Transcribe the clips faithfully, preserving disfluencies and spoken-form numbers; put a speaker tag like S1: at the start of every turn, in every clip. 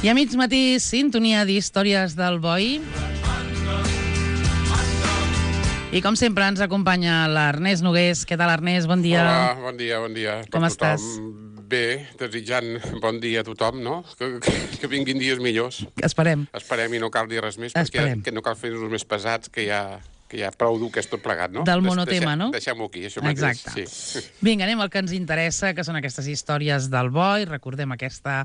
S1: I a mig matí, sintonia d'històries del Boi. I com sempre ens acompanya l'Ernest Nogués. Què tal, Ernest? Bon dia.
S2: Hola, bon dia, bon dia.
S1: Com
S2: per
S1: estàs?
S2: Tothom. Bé, desitjant bon dia a tothom, no? Que, que, que vinguin dies millors.
S1: Esperem.
S2: Esperem i no cal dir res més,
S1: Esperem.
S2: perquè que no cal fer-nos més pesats, que ja, que ja prou dur que és tot plegat, no?
S1: Del monotema,
S2: Deixem,
S1: no?
S2: Deixem-ho aquí, això mateix.
S1: Exacte.
S2: Sí.
S1: Vinga, anem al que ens interessa, que són aquestes històries del Boi. Recordem aquesta,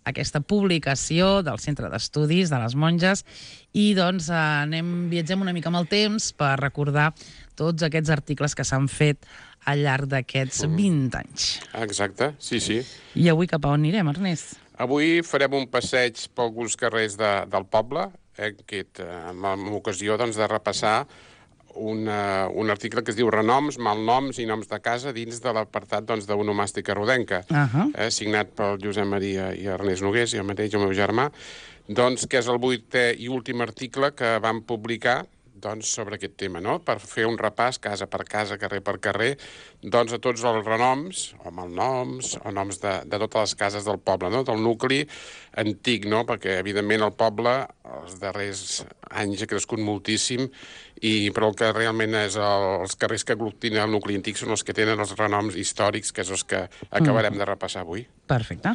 S1: aquesta publicació del Centre d'Estudis de les Monges i doncs anem, viatgem una mica amb el temps per recordar tots aquests articles que s'han fet al llarg d'aquests vint anys.
S2: Exacte, sí, sí.
S1: I avui cap a on anirem, Ernest?
S2: Avui farem un passeig per alguns carrers de, del poble, eh, aquest, amb, amb ocasió doncs, de repassar una, un article que es diu Renoms, malnoms i noms de casa dins de l'apartat doncs, d'onomàstica rodenca,
S1: Uh -huh.
S2: eh, signat pel Josep Maria i Ernest Nogués, i el mateix, el meu germà, doncs, que és el vuitè i últim article que vam publicar doncs, sobre aquest tema, no? Per fer un repàs casa per casa, carrer per carrer, doncs a tots els renoms, o malnoms, o noms de, de totes les cases del poble, no? Del nucli antic, no? Perquè, evidentment, el poble els darrers anys ha crescut moltíssim, i, però el que realment és el, els carrers que aglutinen el nucli antic són els que tenen els renoms històrics, que és els que acabarem mm. de repassar avui.
S1: Perfecte.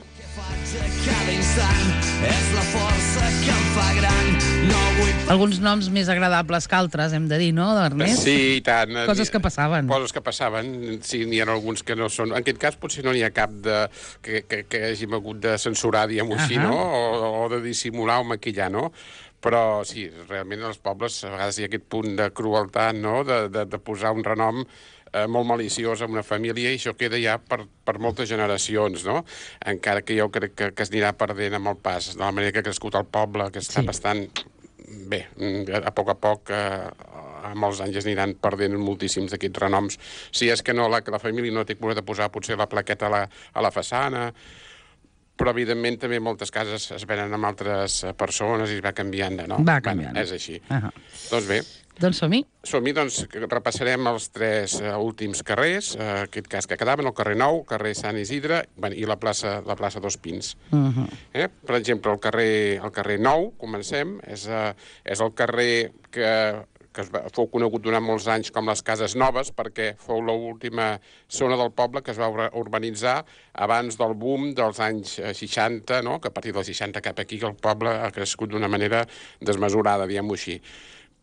S1: Alguns noms més agradables que altres, hem de dir, no, Ernest?
S2: Sí, i tant.
S1: Coses que passaven.
S2: Coses que passaven. Sí, n'hi ha alguns que no són... En aquest cas potser no n'hi ha cap de... que, que, que hàgim hagut de censurar, diguem-ho així, no? O, o de dissimular o maquillar, no? Però sí, realment als pobles a vegades hi ha aquest punt de crueltat, no?, de, de, de posar un renom eh, molt maliciós a una família, i això queda ja per, per moltes generacions, no? Encara que jo crec que, que es anirà perdent amb el pas, de la manera que ha crescut el poble, que està sí. bastant... Bé, a poc a poc, eh, a molts anys es aniran perdent moltíssims d'aquests renoms. Si és que no, la, la família no té cura de posar potser la plaqueta a la, a la façana, però, evidentment, també moltes cases es venen amb altres persones i es va canviant de nom.
S1: Va canviant.
S2: Bueno, és així.
S1: Uh -huh.
S2: Doncs bé.
S1: Doncs som-hi.
S2: Som-hi, doncs, repassarem els tres uh, últims carrers, uh, aquest cas que quedaven, el carrer Nou, el carrer Sant Isidre, bueno, i la plaça, la plaça Dos Pins.
S1: Uh -huh.
S2: eh? Per exemple, el carrer, el carrer Nou, comencem, és, uh, és el carrer que... que es va, fou conegut durant molts anys com les Cases Noves, perquè fou l'última zona del poble que es va urbanitzar abans del boom dels anys seixanta, no? Que a partir dels seixanta cap aquí el poble ha crescut d'una manera desmesurada, diguem-ho així.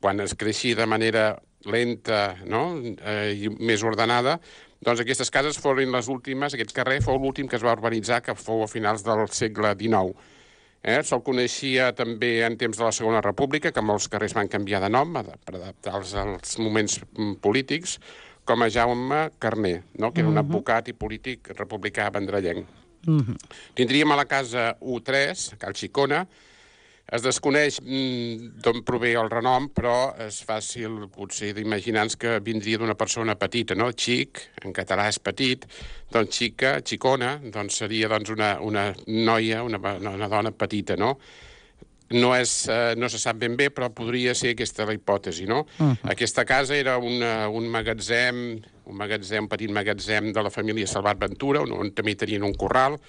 S2: Quan es creixia de manera lenta, no? eh, i més ordenada, doncs aquestes cases foren les últimes, aquest carrer fou l'últim que es va urbanitzar, que fou a finals del segle dinou. Eh? Se'l coneixia també en temps de la Segona República, que molts carrers van canviar de nom per adaptar-los als moments polítics, com a Jaume Carner, no? Que era un uh -huh. advocat i polític republicà vendrellenc. Uh -huh. Tindríem a la casa U tres, Cal Xicona. Es desconeix d'on prové el renom, però és fàcil potser d'imaginar-nos que vindria d'una persona petita, no? Xic, en català és petit, doncs xica, xicona, doncs seria doncs, una, una noia, una, una dona petita, no? No, és, eh, no se sap ben bé, però podria ser aquesta la hipòtesi, no? Uh -huh. Aquesta casa era una, un magatzem, un magatzem, un petit magatzem de la família Salvat Ventura, on, on també tenien un corral,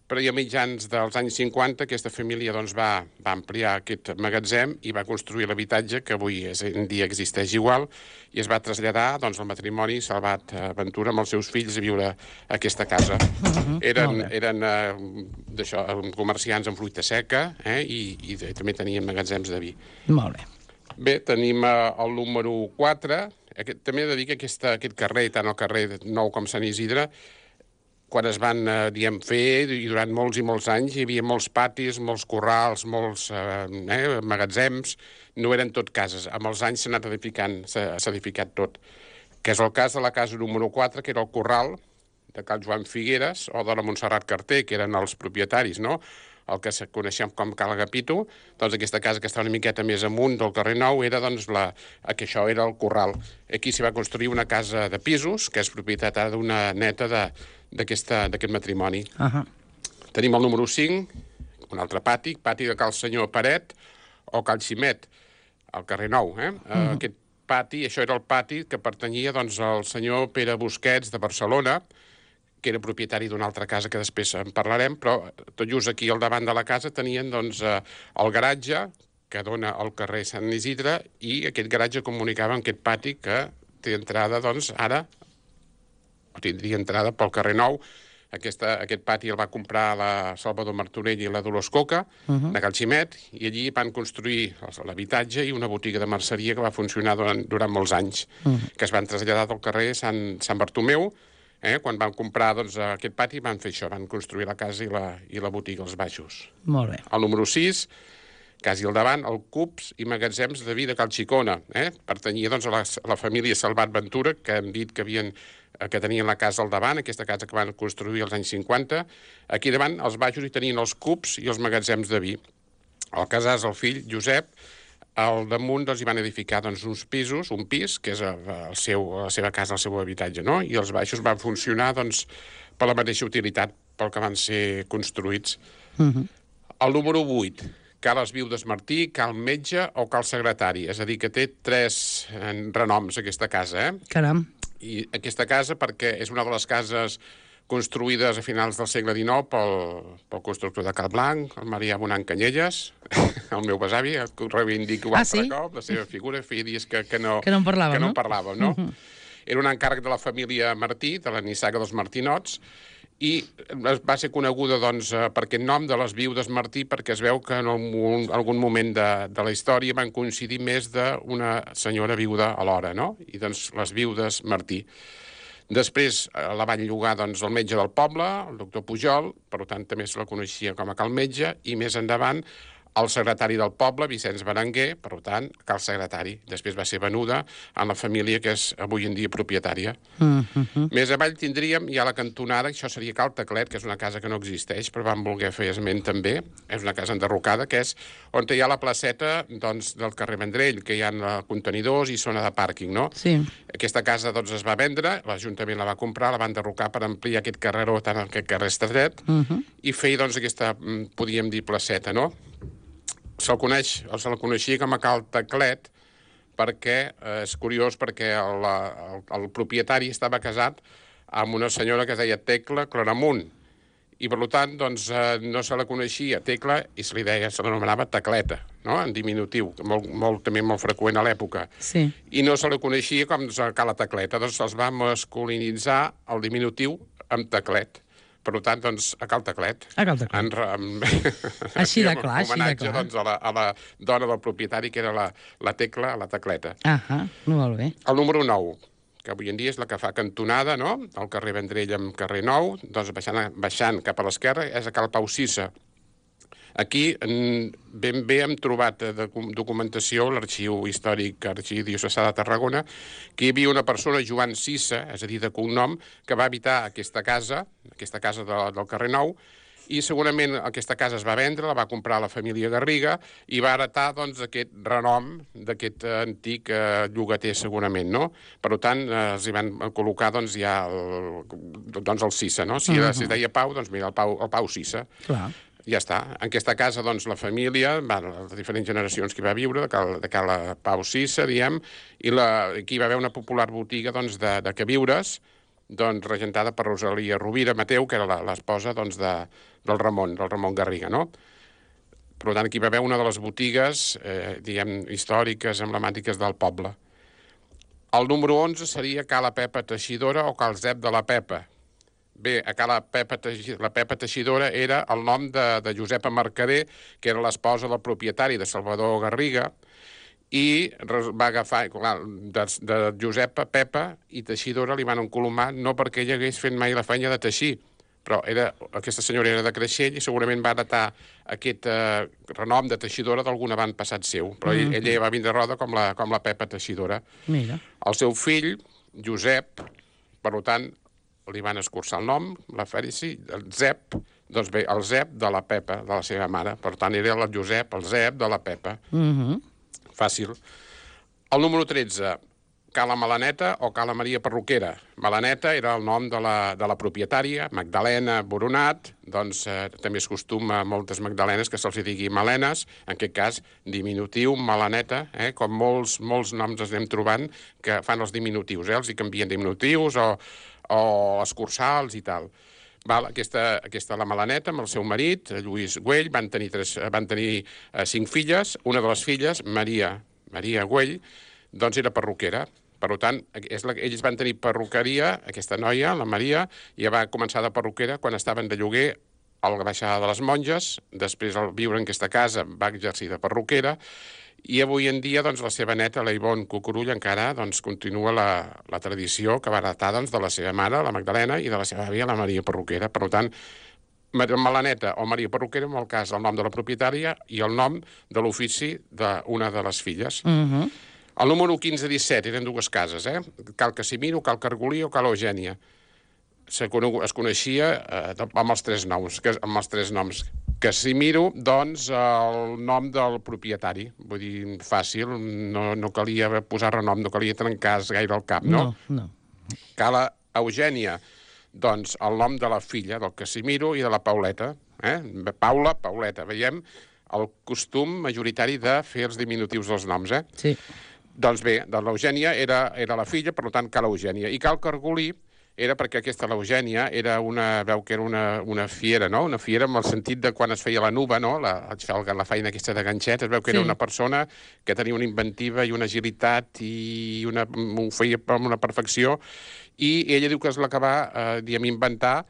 S2: però ja a mitjans dels anys cinquanta aquesta família doncs, va, va ampliar aquest magatzem i va construir l'habitatge que avui és, en dia existeix igual, i es va traslladar doncs, el matrimoni Salvat Ventura amb els seus fills a viure a aquesta casa. Uh-huh. Eren, eren uh, d'això, comerciants amb fruita seca, eh, i, i també tenien magatzems de vi.
S1: Molt bé.
S2: Bé, tenim uh, el número quatre. Aquest, també he de dir que aquesta, aquest carrer, tant el carrer Nou com Sant Isidre, quan es van, eh, diguem, fer, i durant molts i molts anys, hi havia molts patis, molts corrals, molts eh, eh, magatzems, no eren tot cases. Amb els anys s'ha anat edificant, s'ha edificat tot. Que és el cas de la casa número quatre, que era el corral de Cal Joan Figueres, o de la Montserrat Carter, que eren els propietaris, no?, el que coneixem com Cal Agapito. Doncs aquesta casa, que està una miqueta més amunt del carrer Nou, era, doncs, la, que això era el corral. Aquí s'hi va construir una casa de pisos, que és propietat ara d'una neta de d'aquest matrimoni. Uh -huh. Tenim el número cinc, un altre pati, pati de Cal Senyor Paret o Cal Ximet, al carrer Nou. Eh? Uh -huh. Aquest pati, això era el pati que pertanyia doncs, al senyor Pere Busquets de Barcelona, que era propietari d'una altra casa que després en parlarem, però tot just aquí al davant de la casa tenien doncs, eh, el garatge que dona al carrer Sant Isidre i aquest garatge comunicava amb aquest pati que té entrada, doncs, ara, o tindria entrada pel carrer Nou. Aquesta, aquest pati el va comprar la Salvador Martorell i la Dolors Coca, uh -huh. de Cal Ximet, i allí van construir l'habitatge i una botiga de merceria que va funcionar durant, durant molts anys, uh -huh. que es van traslladar del carrer Sant, Sant Bartomeu. Eh? Quan van comprar doncs, aquest pati van fer això, van construir la casa i la, i la botiga als baixos.
S1: Molt bé.
S2: El número sis, quasi al davant, el Cups i Magatzems de Vi de Cal Xicona. Eh? Pertanyia doncs, a, la, a la família Salvat Ventura, que hem dit que, havien, que tenien la casa al davant, aquesta casa que van construir als anys cinquanta. Aquí davant, als baixos, hi tenien els Cups i els Magatzems de Vi. El Casàs, el fill, Josep, al damunt doncs, hi van edificar doncs, uns pisos, un pis, que és el seu, la seva casa, el seu habitatge, no? I els baixos van funcionar doncs, per la mateixa utilitat pel que van ser construïts. Uh -huh. El número vuit, Cal Els Viudes Martí, Cal Metge o Cal Secretari. És a dir, que té tres renoms aquesta casa. Eh?
S1: Caram.
S2: I aquesta casa, perquè és una de les cases construïdes a finals del segle dinou pel, pel constructor de Cal Blanc, el Marià Bonant Canyelles, el meu besavi, que ho reivindico un
S1: ah,
S2: altre
S1: sí?
S2: cop, la seva figura, feia dies que, que, no,
S1: que no en parlàvem,
S2: que no?
S1: no?
S2: En parlàvem, no? Uh-huh. Era un encàrrec de la família Martí, de la nissaga dels Martinots, i va ser coneguda doncs, per aquest nom de les Viudes Martí perquè es veu que en algun moment de, de la història van coincidir més d'una senyora viuda alhora, no? I doncs les Viudes Martí. Després la van llogar doncs, el metge del poble, el doctor Pujol, per tant també se la coneixia com a Cal Metge, i més endavant el secretari del poble, Vicenç Berenguer, per tant, Cal Secretari. Després va ser venuda a la família que és avui en dia propietària. Uh -huh. Més avall tindríem ja la cantonada, això seria Cal Teclet, que és una casa que no existeix, però vam voler fer esment també. És una casa enderrocada, que és on hi ha la placeta doncs, del carrer Vendrell, que hi ha contenidors i zona de pàrquing, no?
S1: Sí.
S2: Aquesta casa doncs, es va vendre, l'Ajuntament la va comprar, la van enderrocar per ampliar aquest carreró, tant aquest carrer estret, uh -huh. i fer doncs, aquesta, podríem dir, placeta, no? Se'l coneix, o se la coneixia com a Cal Teclet perquè, eh, és curiós, perquè el, el, el propietari estava casat amb una senyora que es deia Tecla Claramunt, i per tant doncs, eh, no se la coneixia Tecla i se li deia, se l'anomenava Tecleta, no? En diminutiu, molt, molt, també molt freqüent a l'època.
S1: Sí. I
S2: no se la coneixia com doncs, Cala Tecleta, doncs els va masculinitzar el diminutiu amb Teclet. Per tant, doncs, a Cal Teclet.
S1: A Cal Teclet.
S2: En, en,
S1: així de clar, així de clar.
S2: Doncs, a, la, a la dona del propietari, que era la, la Tecla, la Tecleta.
S1: Ahà, molt bé.
S2: El número nou, que avui en dia és la que fa cantonada, no?, el carrer Vendrell amb carrer Nou, doncs baixant, baixant cap a l'esquerra, és a Cal Pau Cissa. Aquí ben bé hem trobat documentació, l'Arxiu Històric Arxidiocesà de Tarragona, que hi havia una persona, Joan Cissa, és a dir, de cognom, que va habitar aquesta casa, aquesta casa de, del carrer Nou, i segurament aquesta casa es va vendre, la va comprar la família Garriga i va heretar doncs, aquest renom d'aquest antic eh, llogater segurament, no? Per tant, eh, els hi van col·locar doncs, ja el, doncs, el Cissa, no? Si, uh -huh. si es deia Pau, doncs mira, el Pau, el Pau Cissa.
S1: Clar.
S2: Ja està. En aquesta casa, doncs, la família, bueno, les diferents generacions que hi va viure, de Cal, de Cal Pau Cissa, diem, i la, aquí hi va haver una popular botiga doncs, de, de queviures, doncs, regentada per Rosalia Rovira Mateu, que era l'esposa doncs, de, del Ramon, del Ramon Garriga, no? Per tant, aquí hi va haver una de les botigues, eh, diguem, històriques, emblemàtiques del poble. El número onze seria Ca la Pepa Teixidora o Cal Zep de la Pepa. Bé, a Ca la Pepa, la Pepa Teixidora era el nom de, de Josepa Mercader, que era l'esposa del propietari de Salvador Garriga, i va agafar, clar, de, de Josepa, Pepa i Teixidora li van encolomar, no perquè ella hagués fet mai la feina de teixir, però era, aquesta senyora era de Creixell i segurament va heretar aquest eh, renom de Teixidora d'algun avantpassat seu, però mm -hmm. ella va vindre roda com la, com la Pepa Teixidora.
S1: Mira.
S2: El seu fill, Josep, per tant, li van escurçar el nom, la Fèrici, el Zep, doncs bé, el Zep de la Pepa, de la seva mare. Per tant, era el Josep, el Zep de la Pepa. Mm -hmm. Fàcil. El número tretze, Cala Malaneta o Cala Maria Perruquera. Malaneta era el nom de la, de la propietària, Magdalena Boronat, doncs eh, també es costuma a moltes Magdalenes que se'ls digui Malenes, en aquest cas diminutiu, Malaneta, eh, com molts, molts noms ens anem trobant que fan els diminutius, eh, els hi canvien diminutius o, o escurçals i tal. Val, aquesta, aquesta la Malaneta, amb el seu marit, Lluís Güell, van tenir, tres, van tenir eh, cinc filles. Una de les filles, Maria, Maria Güell, doncs era perruquera. Per tant, és la, ells van tenir perruqueria, aquesta noia, la Maria, i va començar de perruquera quan estaven de lloguer a la baixada de les Monges. Després, al viure en aquesta casa, va exercir de perruquera. I avui en dia, doncs, la seva neta, la Ivonne Cucurull, encara doncs, continua la, la tradició que va heretar doncs, de la seva mare, la Magdalena, i de la seva àvia, la Maria Perruquera. Per tant, Malaneta o Maria Perruquera, en el cas, el nom de la propietària i el nom de l'ofici d'una de les filles.
S1: Mhm.
S2: El número quinze disset eren dues cases, eh? Cal Casimiro, Cal Cargolí o Cal Eugènia. Se conegut, es coneixia eh, amb els tres noms, que, amb els tres noms. Casimiro, doncs, el nom del propietari. Vull dir, fàcil, no, no calia posar renom, no calia trencar gaire el cap, no?
S1: No, no.
S2: Cala Eugènia, doncs, el nom de la filla del Casimiro i de la Pauleta. Eh? Paula, Pauleta. Veiem el costum majoritari de fer els diminutius dels noms, eh?
S1: Sí.
S2: Doncs bé, de l'Eugènia era, era la filla, per tant, Cal Eugènia. I Cal Cargolí era perquè aquesta l'Eugènia era una, veu que era una, una fiera, no? Una fiera amb el sentit de quan es feia la nuba, no? La, la feina aquesta de ganxet, es veu que sí. Era una persona que tenia una inventiva i una agilitat i una, ho feia amb una perfecció, i ella diu que es l'acabà, eh, diguem, inventar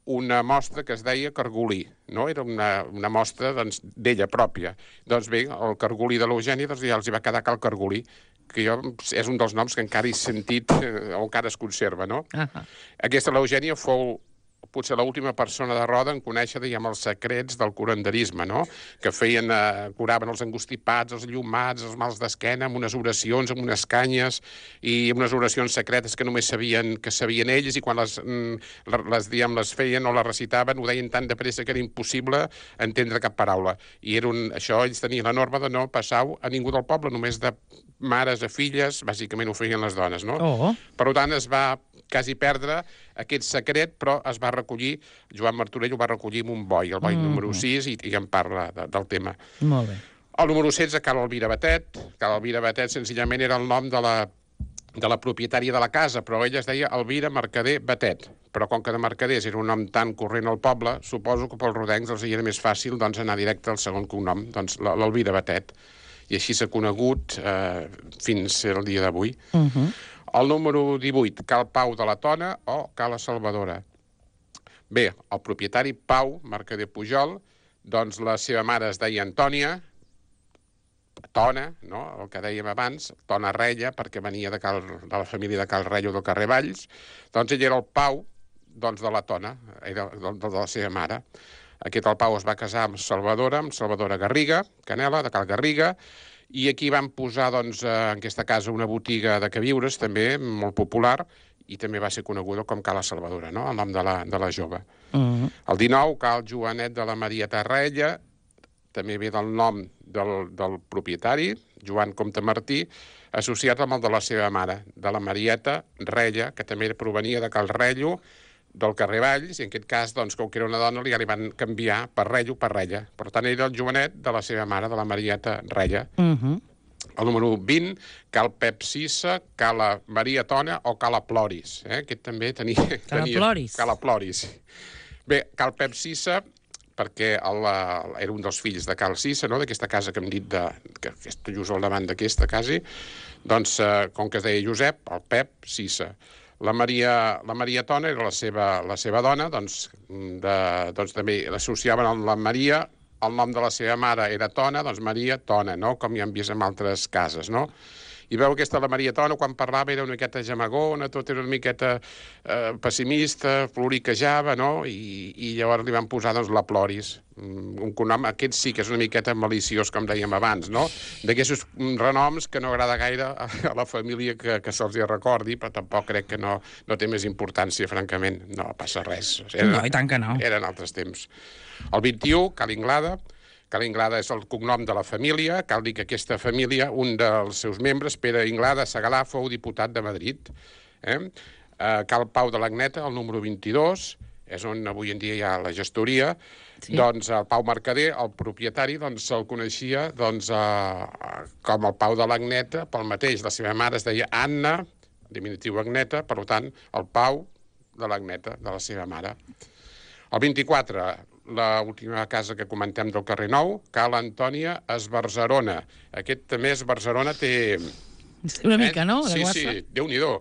S2: una mostra que es deia Cargolí, no? Era una, una mostra doncs, d'ella pròpia. Doncs bé, el Cargolí de l'Eugènia doncs, ja els hi va quedar Cal Cargolí, que jo, és un dels noms que encara he sentit eh, o encara es conserva, no? Uh -huh. Aquesta l'Eugènia fou potser l'última persona de Roda en conèixer, diguem, els secrets del curanderisme, no? Que feien, eh, curaven els angustipats, els llumats, els mals d'esquena, amb unes oracions, amb unes canyes, i amb unes oracions secretes que només sabien, que sabien ells, i quan les, les, diguem, les feien o les recitaven, ho deien tan de pressa que era impossible entendre cap paraula. I era un, això, ells tenien la norma de no passar-ho a ningú del poble, només de mares a filles, bàsicament ho feien les dones, no?
S1: Oh.
S2: Per tant, es va quasi perdre aquest secret, però es va recollir, Joan Martorell ho va recollir amb un boi, el boi mm. número sis, i, i en parla de, del tema.
S1: Molt bé.
S2: El número setze, Cal Elvira Batet. Cal Elvira Batet, senzillament, era el nom de la, de la propietària de la casa, però ella es deia Elvira Mercader Batet. Però com que de Mercaders era un nom tan corrent al poble, suposo que pels rodencs els era més fàcil doncs, anar directe al segon cognom, doncs l'Elvira Batet. I així s'ha conegut eh, fins al dia d'avui. Uh -huh. El número divuit, Cal Pau de la Tona o Cala Salvadora. Bé, el propietari Pau, Mercader Pujol, doncs la seva mare es deia Antònia, Tona, no? El que dèiem abans, Tona Rella, perquè venia de, Cal, de la família de Cal Rello del carrer Valls. Doncs ell era el Pau doncs, de la Tona, era de, de la seva mare. Aquest el Pau es va casar amb Salvadora, amb Salvadora Garriga, Canela, de Cal Garriga, i aquí van posar, doncs, en aquesta casa una botiga de queviures, també molt popular, i també va ser coneguda com Cala Salvadora, no? El nom de la, de la jove. Uh -huh. El dinou, Cal Joanet de la Marieta Rella, també ve del nom del, del propietari, Joan Comte Martí, associat amb el de la seva mare, de la Marieta Rella, que també provenia de Cal Rello, del carrer Valls, i en aquest cas, doncs, com que era una dona, ja li van canviar per Rello per Rella. Per tant, era el Joanet de la seva mare, de la Marieta Rella. Uh -huh. El número vint, Cal Pep Sissa, Cala Maria Tona o Cala Ploris. Eh? Aquest també tenia...
S1: Cala
S2: tenia,
S1: Ploris.
S2: Cala Ploris. Bé, Cal Pep Sissa, perquè el, era un dels fills de Cal Sissa, no? D'aquesta casa que hem dit, de, que, que està just al davant d'aquesta, quasi, doncs, eh, com que es deia Josep, el Pep Sissa. La Maria, la Maria Tona era la seva, la seva dona, doncs, de, doncs també l'associaven amb la Maria, el nom de la seva mare era Tona, doncs Maria Tona, no? Com ja hem vist en altres cases, no? I veu aquesta, la Maria Tona, quan parlava era una miqueta gemagona, tot era una miqueta eh, pessimista, ploriquejava, no? I, i llavors li van posar, doncs, la Ploris. Un cognom, aquest sí que és una miqueta maliciós, com dèiem abans, no? D'aquests renoms que no agrada gaire a, a la família que, que se'ls hi recordi, però tampoc crec que no, no té més importància, francament. No passa res.
S1: Eren, no, i tant que no.
S2: Eren altres temps. El vint-i-u, Cal Inglada, Cal Inglada és el cognom de la família. Cal dir que aquesta família, un dels seus membres, Pere Inglada Segalà, fou diputat de Madrid. Eh? Cal Pau de l'Agneta, el número vint-i-dos, és on avui en dia hi ha la gestoria. Sí. Doncs el Pau Mercader, el propietari, doncs se'l coneixia doncs, eh, com el Pau de l'Agneta, pel mateix. La seva mare es deia Anna, diminutiu Agneta, per tant, el Pau de l'Agneta, de la seva mare. El vint-i-quatre, l'última casa que comentem del carrer Nou, Cal Antònia Esbarzerona. Aquest també Esbarzerona té...
S1: Una mica, no?
S2: Sí, sí, Déu-n'hi-do.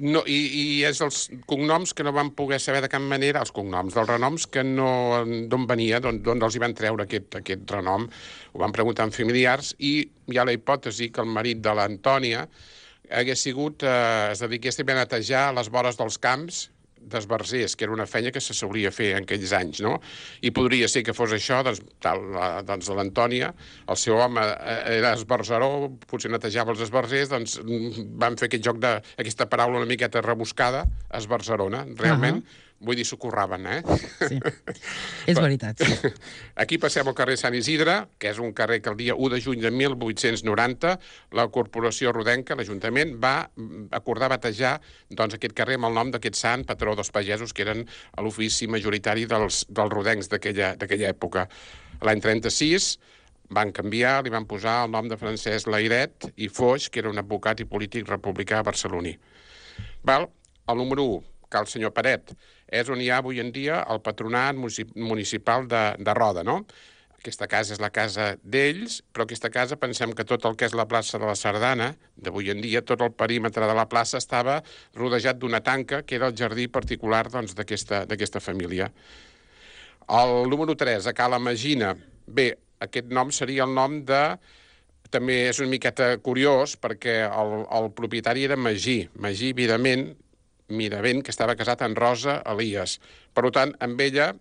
S2: No, i, I és els cognoms que no van poder saber de cap manera, els cognoms dels renoms, que no... d'on venia, d'on els hi van treure aquest, aquest renom. Ho van preguntar amb familiars i hi ha la hipòtesi que el marit de l'Antònia hagués sigut, eh, es dediqués també a netejar les vores dels camps d'esbarzers, que era una feina que se solia fer en aquells anys, no? I podria ser que fos això, doncs, tal, la, doncs l'Antònia, el seu home era esbarzeró, potser netejava els esbarzers, doncs van fer aquest joc de, aquesta paraula una miqueta rebuscada, esbarzerona, realment, uh -huh. Vull dir, s'ho curraven, eh?
S1: Sí, és veritat, sí.
S2: Aquí passem al carrer Sant Isidre, que és un carrer que el dia u de juny de mil vuit-cents noranta la Corporació Rodenca, l'Ajuntament, va acordar batejar doncs, aquest carrer amb el nom d'aquest sant, patró dels pagesos, que eren a l'ofici majoritari dels, dels rodencs d'aquella època. L'any trenta-sis van canviar, li van posar el nom de Francesc Layret i Foix, que era un advocat i polític republicà barceloní. Val? El número u, Cal Senyor Paret, és on hi ha avui en dia el patronat municipal de, de Roda, no? Aquesta casa és la casa d'ells, però aquesta casa pensem que tot el que és la plaça de la Sardana, d'avui en dia, tot el perímetre de la plaça estava rodejat d'una tanca, que era el jardí particular doncs, d'aquesta família. El número tres, a Cala Magina. Bé, aquest nom seria el nom de... També és una miqueta curiós, perquè el, el propietari era Magí, Magí Vidament, Miravent, que estava casat amb Rosa Elias. Per tant, amb ella,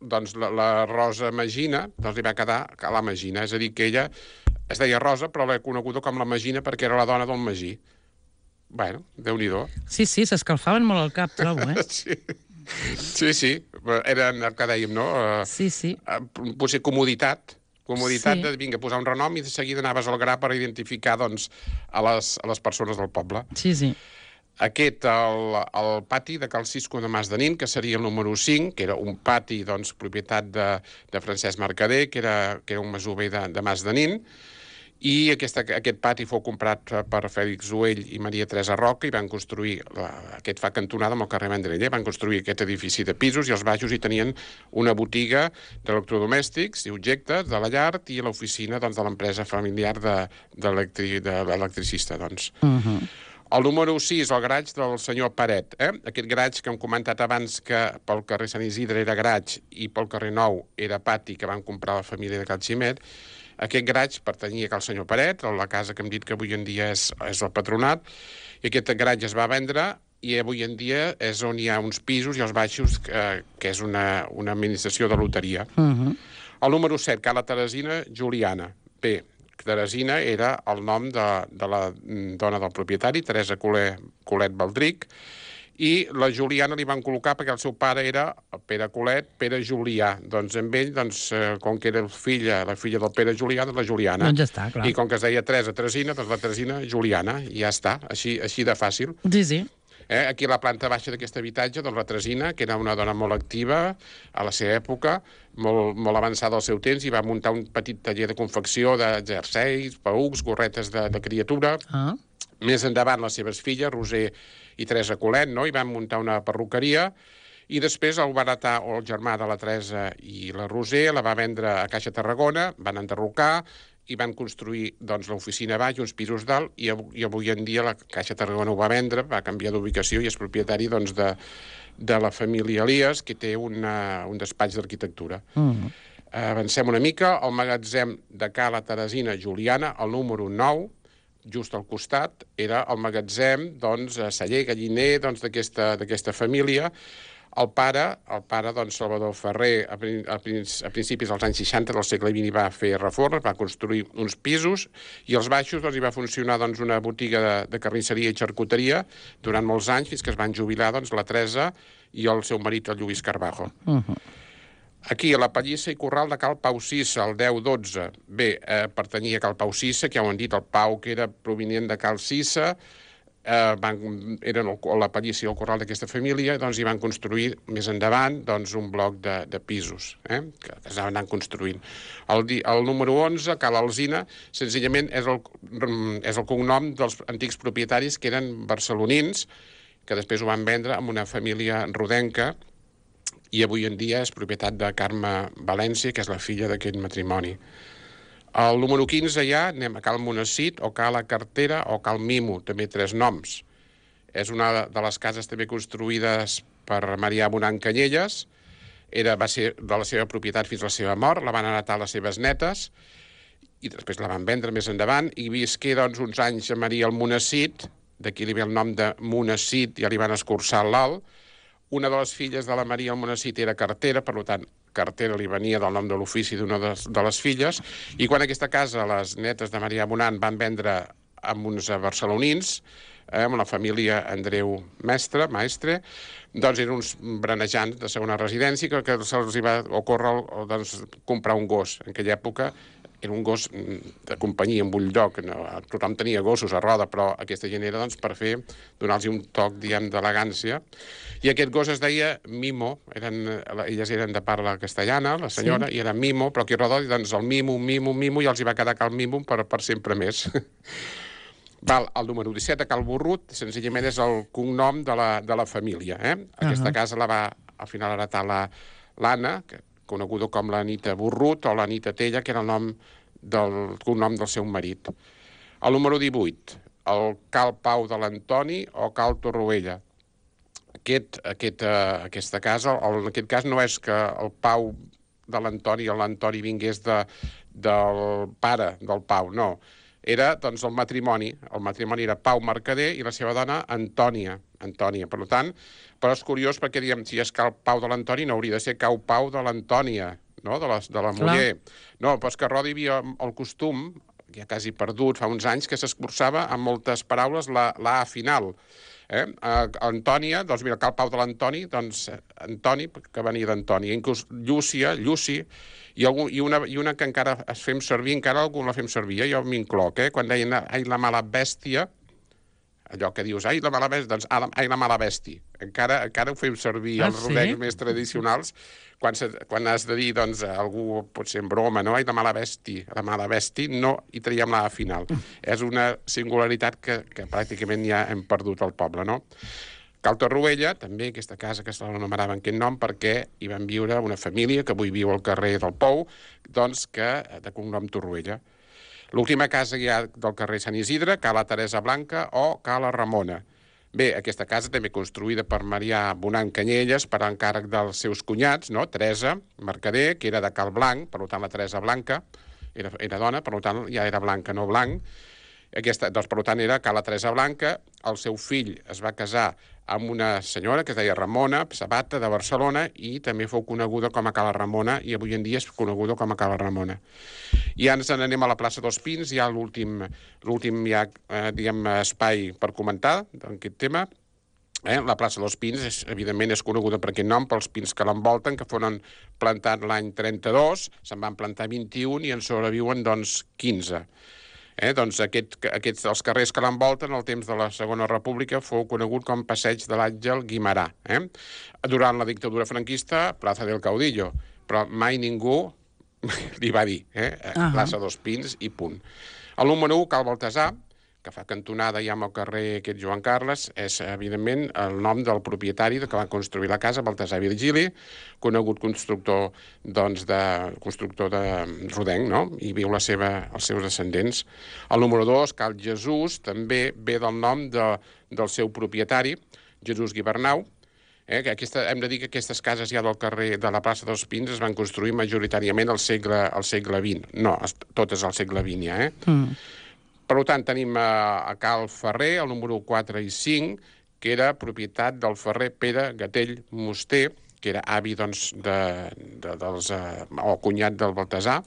S2: doncs, la, la Rosa Magina, doncs li va quedar a la Magina. És a dir, que ella es deia Rosa, però l'he coneguda com la Magina perquè era la dona del Magí. Bueno, Déu-n'hi-do.
S1: Sí, sí, s'escalfaven molt el cap, trobo, eh?
S2: Sí, sí, sí. Era el que dèiem, no?
S1: Sí, sí.
S2: Potser comoditat. Comoditat
S1: sí.
S2: de, vinga, posar un renom i de seguida anaves al gra per identificar, doncs, a les, a les persones del poble.
S1: Sí, sí.
S2: Aquest, el, el pati de Cal Cisco de Mas de Nin, que seria el número cinc, que era un pati, doncs, propietat de, de Francesc Mercader, que era, que era un masover de, de Mas de Nin, i aquesta, aquest pati fou comprat per Fèlix Uell i Maria Teresa Roca i van construir, la, aquest fa cantonada amb el carrer Vendrell, van construir aquest edifici de pisos i als baixos hi tenien una botiga d'electrodomèstics i objectes de la llar i l'oficina doncs, de l'empresa familiar de, de l'electricista. Doncs. Uh -huh. El número sis, el garatge del senyor Paret. Eh? Aquest garatge que hem comentat abans que pel carrer Sant Isidre era garatge i pel carrer Nou era pati que van comprar la família de Cal Ximet. Aquest garatge pertanyia al senyor Paret, a la casa que hem dit que avui en dia és, és el patronat, i aquest garatge es va vendre i avui en dia és on hi ha uns pisos i els baixos, que, que és una, una administració de loteria. Uh -huh. El número set, Cala Teresina Juliana. Bé, Teresina era el nom de, de la dona del propietari, Teresa Colet, Colet Baldric, i la Juliana li van col·locar perquè el seu pare era Pere Colet, Pere Julià. Doncs amb ell, doncs, com que era filla, la filla del Pere Julià, doncs la Juliana.
S1: Doncs ja està, clar.
S2: I com que es deia Teresa Teresina, doncs la Teresina Juliana, i ja està, així, així de fàcil.
S1: Sí, sí.
S2: Eh? Aquí a la planta baixa d'aquest habitatge, doncs la Teresina, que era una dona molt activa a la seva època, molt, molt avançada al seu temps, i va muntar un petit taller de confecció de jerseis, paucs, gorretes de, de criatura. Ah. Més endavant, les seves filles, Roser i Teresa Colet, no? I van muntar una perruqueria, i després el va heretar el germà de la Teresa i la Roser, la va vendre a Caixa Tarragona, van enderrocar, i van construir doncs, l'oficina baix i uns pisos dalt, i, i avui en dia la Caixa Tarragona ho va vendre, va canviar d'ubicació i és propietari doncs, de, de la família Elias, que té una, un despatx d'arquitectura. Mm. Avancem una mica, el magatzem de Cala Teresina Juliana, el número nou, just al costat, era el magatzem, doncs, celler, galliner, doncs, d'aquesta família. El pare, el pare, doncs, Salvador Ferrer, a, a, a principis dels anys seixanta del segle vint va fer reformes, va construir uns pisos, i als baixos doncs, hi va funcionar doncs, una botiga de, de carnisseria i xarcuteria durant molts anys, fins que es van jubilar doncs, la Teresa i el seu marit, el Lluís Carbajo. Uh -huh. Aquí, a la Pallissa i Corral de Cal Pau Cissa, el deu dotze. Bé, eh, pertanyia a Cal Pau Cissa, que ja ho han dit, el Pau, que era provinent de Cal Cissa, eh, van, eren el, la Pallissa i el Corral d'aquesta família, doncs hi van construir més endavant doncs, un bloc de, de pisos, eh, que, que s'anaven anant construint. El, el número onze, Cal Alzina, senzillament és el, és el cognom dels antics propietaris que eren barcelonins, que després ho van vendre amb una família rodenca, i avui en dia és propietat de Carme València, que és la filla d'aquest matrimoni. El número quinze ja anem a Cal Monacit, o Cal La Cartera, o Cal Mimo, també tres noms. És una de les cases també construïdes per Marià Bonan Canyelles, era, va ser de la seva propietat fins a la seva mort, la van heretar les seves netes, i després la van vendre més endavant, i visqué doncs, uns anys a Maria al Monacit, d'aquí li ve el nom de Monacit, ja li van escurçar l'alt. Una de les filles de la Maria al Monacit era Cartera, per tant, Cartera li venia del nom de l'ofici d'una de, de les filles, i quan aquesta casa les netes de Marià Bonan van vendre amb uns barcelonins, eh, amb la família Andreu Mestre, Maestre, doncs eren uns brenejants de segona residència que, que se'ls va ocórrer doncs, comprar un gos. En aquella època era un gos de companyia, en bulldog, no? Tothom tenia gossos a roda, però aquesta gent era doncs, per fer, donar-los un toc, diguem, d'elegància. I aquest gos es deia Mimo, eren, elles eren de parla castellana, la senyora, sí. I era Mimo, però aquí a roda, doncs el Mimo, Mimo, Mimo, i els hi va quedar Cal Mimo per, per sempre més. Val, el número disset, a Cal Borrut, senzillament és el cognom de la, de la família. Eh? Aquesta uh -huh. casa la va, al final, heretar l'Anna, que coneguda com l'Anita Borrut o l'Anita Tella, que era el nom del cognom del seu marit. El número divuit, el Cal Pau de l'Antoni o Cal Torroella. Aquest, aquest, uh, aquesta casa, el, en aquest cas no és que el Pau de l'Antoni o l'Antoni vingués de, del pare del Pau, no. Era doncs, el matrimoni. El matrimoni era Pau Mercader i la seva dona Antònia. Antònia. Per tant, però és curiós perquè, diguem, si és Cal Pau de l'Antoni, no hauria de ser Cau Pau de l'Antònia, no? de, la, de la muller. No, però és que a Roda hi havia el costum, ja quasi perdut, fa uns anys, que s'escurçava amb moltes paraules la, la A final. Eh? Uh, Antònia, doncs mira, Cal Pau de l'Antoni, doncs Antoni, que venia d'Antònia, inclús Llúcia, Lluci, i, algun, i, una, i una que encara es fem servir, encara algú la fem servir, eh? Jo m'incloc, eh? Quan deien ai la mala bèstia, allò que dius, ai la mala bèstia, doncs ai la mala bèstia, encara, encara ho fem servir ah, els sí? rodecs més tradicionals, quan, se, quan has de dir, doncs, algú pot ser en broma, no? Ai la mala bèstia, la mala bèstia, no, i traiem la final. És una singularitat que, que pràcticament ja hem perdut al poble, no? Cal Torroella, també, aquesta casa que se l'anomenava en aquest nom, perquè hi van viure una família que avui viu al carrer del Pou, doncs, que de cognom Torroella. L'última casa ja del carrer Sant Isidre, Cal la Teresa Blanca o Cal la Ramona. Bé, aquesta casa també construïda per Marià Bonan Canyelles per encàrrec dels seus cunyats, no? Teresa Mercader, que era de Cal Blanc, per tant la Teresa Blanca era, era dona, per tant ja era blanca, no blanc. Aquesta, doncs, per tant, era Cal la Teresa Blanca. El seu fill es va casar amb una senyora que es deia Ramona Sabata, de Barcelona, i també fou coneguda com a Cala Ramona, i avui en dia és coneguda com a Cala Ramona. I ens n'anem a la plaça dels Pins, hi ha l'últim ja, eh, diguem, espai per comentar d'aquest tema. Eh? La plaça dels Pins, és, evidentment, és coneguda per aquest nom, pels pins que l'envolten, que foren plantats l'any trenta-dos, se'n van plantar vint-i-un i en sobreviuen, doncs, quinze. Eh, doncs aquest, aquests, els carrers que l'envolten al temps de la Segona República fou conegut com Passeig de l'Àngel Guimerà. Eh? Durant la dictadura franquista, Plaza del Caudillo, però mai ningú li va dir, eh? Uh-huh. Plaça dos Pins i punt. El número u, Cal Baltasar, que fa cantonada ja amb el carrer aquest Joan Carles, és, evidentment, el nom del propietari que va construir la casa, Baltasar Virgili, conegut constructor, doncs, de, constructor de rodenc, no? I viu la seva, els seus descendents. El número dos, Cal Jesús, també ve del nom de, del seu propietari, Jesús Guibernau. Eh? Que aquesta, hem de dir que aquestes cases ja del carrer de la plaça dels Pins es van construir majoritàriament al segle, al segle vint. No, totes al segle vint ja, eh? Mm. Per tant, tenim a Cal Ferrer, el número quatre i cinc, que era propietat del ferrer Pere Gatell Muster, que era avi, doncs, de, de, dels, uh, o cunyat del Baltasar.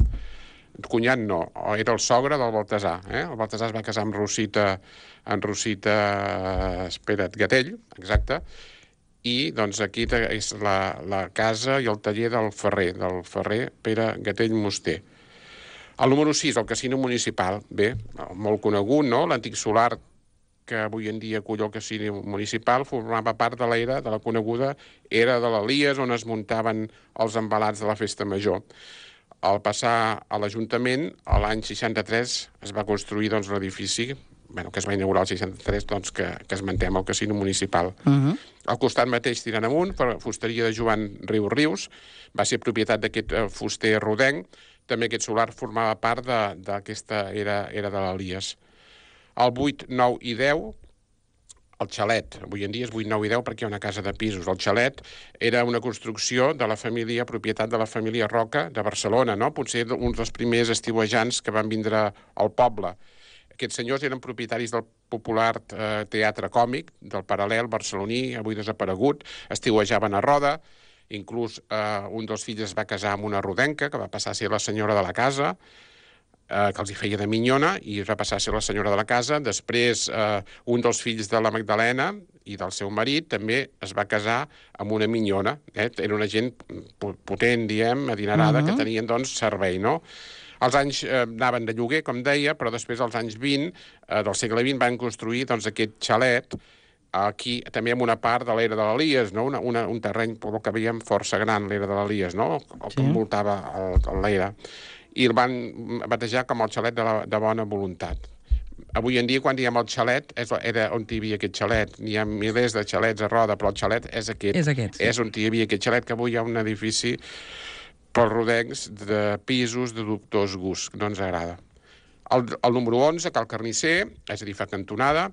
S2: Cunyat no, era el sogre del Baltasar. Eh? El Baltasar es va casar amb Rosita, amb Rosita, espera't, Gatell, exacte, i doncs aquí és la, la casa i el taller del ferrer, del ferrer Pere Gatell Muster. El número sis, el casino municipal. Bé, molt conegut, no? L'antic solar que avui en dia acull el casino municipal formava part de l'era de la coneguda era de l'Elies, on es muntaven els embalats de la festa major. Al passar a l'Ajuntament, l'any seixanta-tres es va construir doncs, l'edifici, bueno, que es va inaugurar el seixanta-tres, doncs, que, que esmentem el casino municipal. Uh-huh. Al costat mateix, tirant amunt, per fusteria de Joan Rius Rius, va ser propietat d'aquest fuster rodenc. També aquest solar formava part d'aquesta era, era de l'Elies. El vuit, nou i deu, el xalet. Avui en dia és vuit, nou i deu perquè hi ha una casa de pisos. El xalet era una construcció de la família, propietat de la família Roca de Barcelona, no? Potser uns dels primers estiuejants que van vindre al poble. Aquests senyors eren propietaris del popular eh, teatre còmic, del Paral·lel barceloní, avui desaparegut, estiuejaven a Roda, inclús eh, un dels fills es va casar amb una rodenca, que va passar a ser la senyora de la casa, eh, que els hi feia de minyona, i va passar a ser la senyora de la casa. Després, eh, un dels fills de la Magdalena i del seu marit també es va casar amb una minyona. Eh? Era una gent potent, diem, adinerada, uh-huh. que tenien, doncs, servei, no? Els anys eh, anaven de lloguer, com deia, però després, als anys vint eh, del segle vint, van construir doncs, aquest xalet, aquí també amb una part de l'era de l'Elies, no? una, una, un terreny, pel que veiem, força gran, l'era de l'Elies, no? El que envoltava l'era. I el van batejar com el xalet de, la, de bona voluntat. Avui en dia, quan diem el xalet, és, era on hi havia aquest xalet. N'hi ha milers de xalets a Roda, però el xalet és aquest.
S1: És aquest, sí.
S2: És on hi havia aquest xalet, que avui hi ha un edifici pels rodencs de pisos de dubtós gust, que no ens agrada. El, el número onze, Cal Carnisser, és a dir, fa cantonada,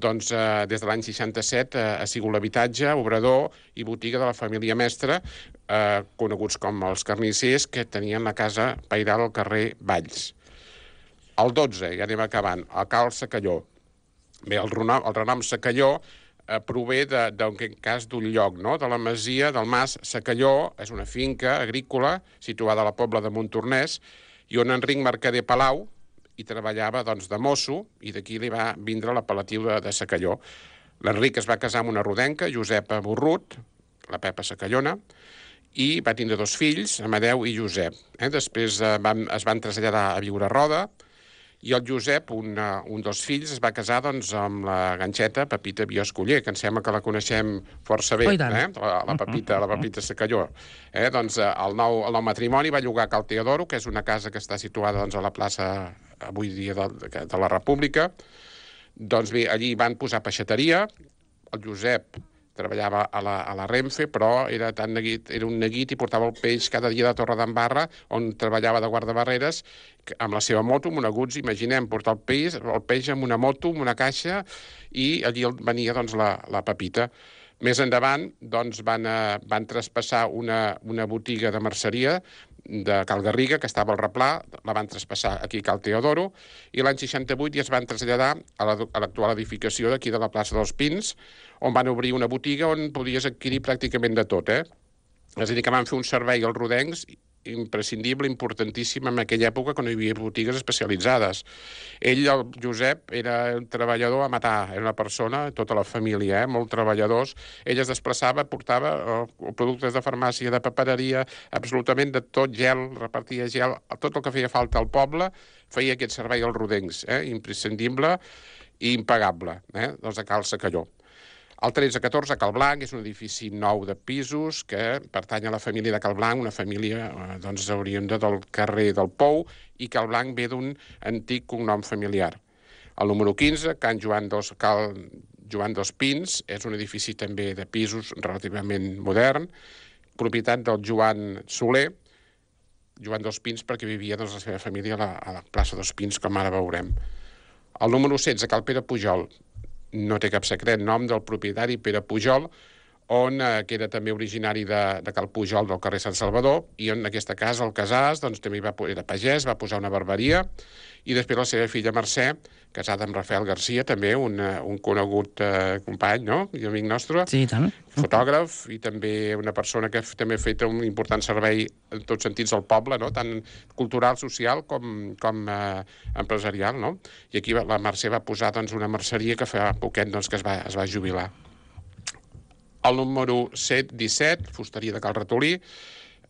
S2: doncs eh, des de l'any seixanta-set eh, ha sigut l'habitatge, obrador i botiga de la família Mestre, eh, coneguts com els carnissers, que tenien la casa pairal al carrer Valls. El dotze, ja anem acabant, el Cal Secalló. Bé, el renom, el renom Secalló eh, prové d'un cas d'un lloc, no? De la masia del Mas Secalló, és una finca agrícola situada a la Pobla de Montornès, i on Enric Mercader Palau i treballava doncs, de mosso, i d'aquí li va vindre l'apel·latiu de, de Secalló. L'Enric es va casar amb una rodenca, Josepa Borrut, la Pepa Secallona, i va tindre dos fills, Amadeu i Josep. Eh? Després eh, van, es van traslladar a viure a Roda, i el Josep, un, uh, un dels fills, es va casar doncs, amb la ganxeta Pepita Bioscoller, que em sembla que la coneixem força bé,
S1: oh,
S2: eh? la, la, Pepita, la Pepita Secalló. Eh? Doncs, uh, el, nou, el nou matrimoni va llogar a Cal Teodoro, que és una casa que està situada doncs, a la plaça avui dia de, de la República. Doncs bé, allí van posar peixateria, el Josep treballava a la, a la Renfe, però era, tan neguit, era un neguit i portava el peix cada dia de Torredembarra, on treballava de guardabarreres, amb la seva moto, amb una Guzzi, imaginem, portar el peix, el peix amb una moto, amb una caixa, i allí venia doncs, la, la Pepita. Més endavant doncs, van, eh, van traspassar una, una botiga de merceria de Cal Garriga, que estava al Replà, la van traspassar aquí a Cal Teodoro, i l'any seixanta-vuit ja es van traslladar a l'actual edificació d'aquí de la plaça dels Pins, on van obrir una botiga on podies adquirir pràcticament de tot, eh? És a dir, que van fer un servei als rodencs imprescindible, importantíssim en aquella època quan hi havia botigues especialitzades. Ell, el Josep, era un treballador a matar, era una persona, tota la família, eh, molt treballadors. Ell es desplaçava, portava eh, productes de farmàcia, de papereria, absolutament de tot, gel, repartia gel, tot el que feia falta al poble, feia aquest servei als rodencs, eh, imprescindible i impagable, eh, doncs a Cal Secalló. El tretze catorze, Cal Blanc, és un edifici nou de pisos que pertany a la família de Cal Blanc, una família eh, doncs, oriunda del carrer del Pou, i Cal Blanc ve d'un antic cognom familiar. El número quinze, Can Joan dos, Cal Joan dos Pins, és un edifici també de pisos relativament modern, propietat del Joan Soler, Joan dos Pins perquè vivia doncs, la seva família a la, a la plaça dos Pins, com ara veurem. El número setze, Cal Pere Pujol, no té cap secret, nom del propietari Pere Pujol, on, eh, que era també originari de, de Cal Pujol del carrer Sant Salvador, i en aquesta casa, el Casàs, doncs, també va, era pagès, va posar una barberia, i després la seva filla Mercè, casada amb Rafael Garcia, també un, un conegut eh, company, no?, i amic nostre,
S1: sí, tant.
S2: Fotògraf, i també una persona que també ha fet un important servei en tots sentits al poble, no?, tant cultural, social, com, com eh, empresarial, no? I aquí la Mercè va posar doncs, una merceria que fa poquet doncs, que es va, es va jubilar. El número set disset, fusteria de Cal Ratolí,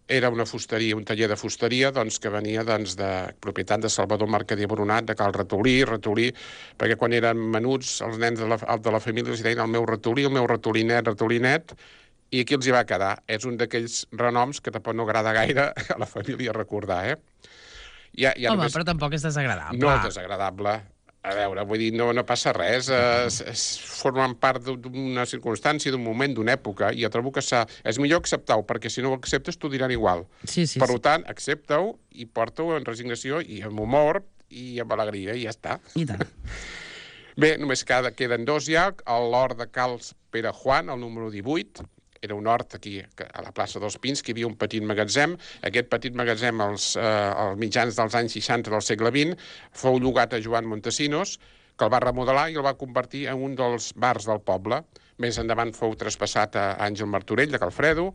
S2: era una fusteria, un taller de fusteria doncs, que venia doncs, de propietat de Salvador Mercader Boronat, de Cal Ratolí, Ratolí, perquè quan eren menuts, els nens de la, de la família els deien el meu ratolí, el meu ratolinet, ratolinet, i aquí els hi va quedar. És un d'aquells renoms que tampoc no agrada gaire a la família recordar, eh? Ja, ja
S1: Home,
S2: només...
S1: però tampoc és desagradable.
S2: No és desagradable. A veure, vull dir, no, no passa res. Es, es formen part d'una circumstància, d'un moment, d'una època, i jo trobo que és millor acceptar-ho, perquè si no ho acceptes t'ho diran igual.
S1: Sí, sí,
S2: per
S1: sí.
S2: tant, accepta-ho i porta-ho en resignació i amb humor i amb alegria, i ja està.
S1: I tant.
S2: Bé, només cada, queden dos ja. L'hort de Cals Pere Juan, el número divuit, era un hort aquí a la plaça dels Pins, que hi havia un petit magatzem. Aquest petit magatzem, als, eh, als mitjans dels anys seixanta del segle vint, fou llogat a Joan Montesinos, que el va remodelar i el va convertir en un dels bars del poble. Més endavant fou traspassat a Àngel Martorell, de Calfredo,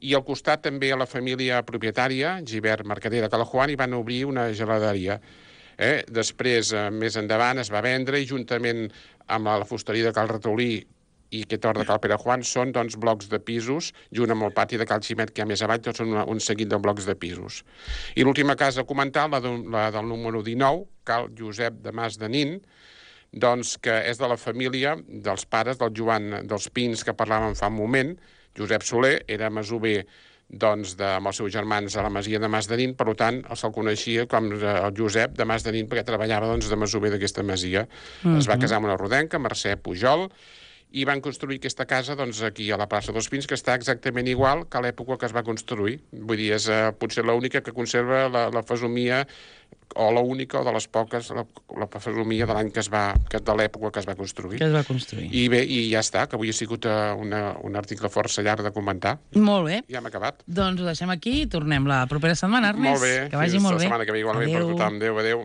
S2: i al costat també a la família propietària, Gibert Mercader de Calajuan, i van obrir una geladeria. Eh? Després, eh, més endavant, es va vendre i juntament amb la fusteria de Cal Ratolí i aquest hort de Cal Pere Juan són doncs, blocs de pisos, junt amb el pati de Cal Ximet, que hi ha més avall, tots són una, un seguit de blocs de pisos. I l'última casa a comentar, la, de, la del número dinou, Cal Josep de Mas de Nin, doncs, que és de la família dels pares del Joan dels Pins, que parlàvem fa un moment. Josep Soler era masover doncs, de, amb els seus germans a la masia de Mas de Nin, per tant, se'l coneixia com el Josep de Mas de Nin, perquè treballava doncs, de masover d'aquesta masia. Mm-hmm. Es va casar amb una rodenca, Mercè Pujol, i van construir aquesta casa doncs, aquí a la plaça dels Pins, que està exactament igual que a l'època que es va construir. Vull dir, és uh, potser l'única que conserva la, la fesomia, o l'única, o de les poques, la, la fesomia de l'any que es va, que de l'època que es va construir.
S1: Que es va construir.
S2: I bé, i ja està, que avui ha sigut uh, una, un article força llarg de comentar.
S1: Molt bé.
S2: Ja hem acabat.
S1: Doncs ho deixem aquí i tornem la propera setmana, Ernest.
S2: Molt bé.
S1: Que vagi
S2: Fins
S1: molt
S2: la
S1: bé.
S2: setmana que ve igualment per tothom. Adéu, adéu.